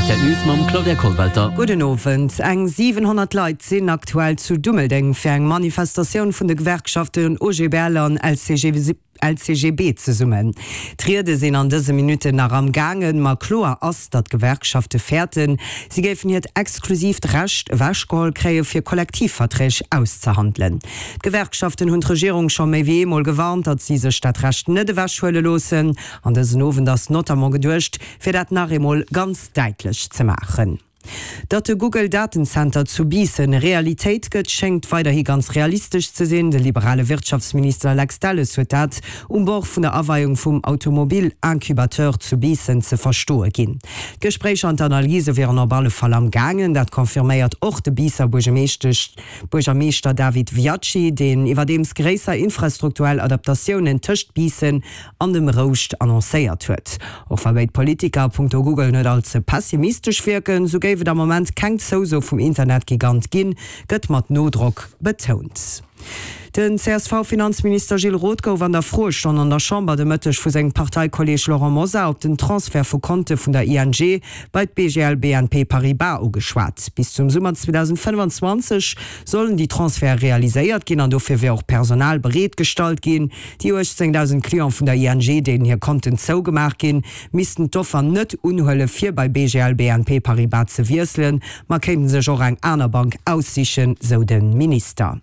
Rtl News mam Claudia Kollwelter. Gudden Owend. Eng 700 Leit sinn aktuell zu Dummeldeng fir eng Manifestatioun vun de Gewerkschaften OGBL an LCGB zesummen. D'Riede sinn an dëse Minutten nach am gaangen, ma kloer ass, datt d'Gewerkschafte fäerten, si géifen hiert exklusiivt Recht ewechgeholl kréie fir Kollektivverträg auszehandelen. D'Gewerkschaften hunn d'Regierung scho méi wéi eemol gewarnt, datt si sech dat Recht net ewechhuele loossen. An dësen Owend ass notamment geduecht, fir dat nach eemol ganz däitlech ze maachen. Datt de Google Datenzenter zu Biissen Realitéit gëtt, schéngt weiderhi ganz realistesch ze sinn. De liberale Wirtschaftsminister Lex Delles huet dat um Bord vun der Aweiung vum Automobil-Incubateur zu Biissen ze verstoe ginn. D'Gespréicher an d'Analyse wieren op alle Fall am gaangen. Dat confirméiert och de Biisser Buergermeeschter David Viacci, deen iwwerdeems gréisser infrastrukturell Adaptatiounen tëscht Biissen an dem Rouscht annoncéiert huet. Och wa béid Politiker a punkto Google net all ze pessimistesch wierken, sou géif et am Moment keng Zouso vum Internetgigant ginn, gëtt mat Nodrock betount. Den CSV-Finanzminister Gilles Roth gouf an der Froestonn an der Chamber de Mëtteg vu sengem Parteikolleeg Laurent Mosar op den Transfert vu Konte vun der ING bei d'BGL BNP Paribas ugeschwat. Bis zum Summer 2025 sollen déi Transferte realiséiert ginn an dofir wier och Personal bereet gestallt ginn. Déi 18.000 Cliente vun der ING, deenen hir Konten zougemaach ginn, missten d'Offer net unhuelen, fir bei BGL BNP Paribas ze wiesselen, ma kéinten sech och eng aner Bank aussichen, sou de Minister.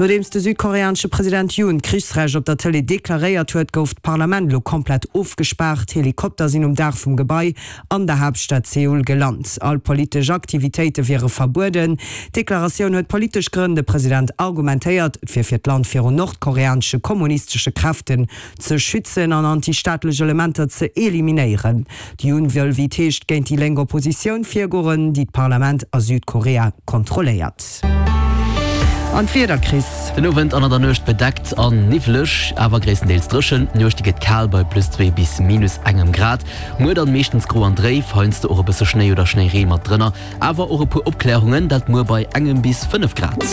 Nodeems de südkoreanesche President Yoon d'Krichsrecht op der Tëlee deklaréiert huet, gouf d'Parlament elo komplett ofgespaart. Helikopter sinn um Daach vum Gebai an der Haaptstad Seoul gelant. All politesch Aktivitéite wiere verbueden. D'Deklaratioun huet politesch Grënn. De President argumentéiert, et wier fir d'Land virun nordkoreanesche kommunistesche Kräften ze schützen an antistaatlech Elementer ze eliminéieren. De Yoon wëll, wéi et heescht, géint déi lénk Oppositioun virgoen, déi d'Parlament a Südkorea kontrolléiert. An d'Wieder, Chris? Den Owend an an der Nuecht bedeckt an niwwleg, awer gréisstendeels dréchen. D'Nuecht déi gëtt kal bei plus 2 bis minus engem Grad. Muer dann meeschtens gro an dréif, heiansdo och e bësse Schnéi oder Schnéireen mat drënner, awer och e puer Opklärungen, dat muer bei engem bis 5 Grad.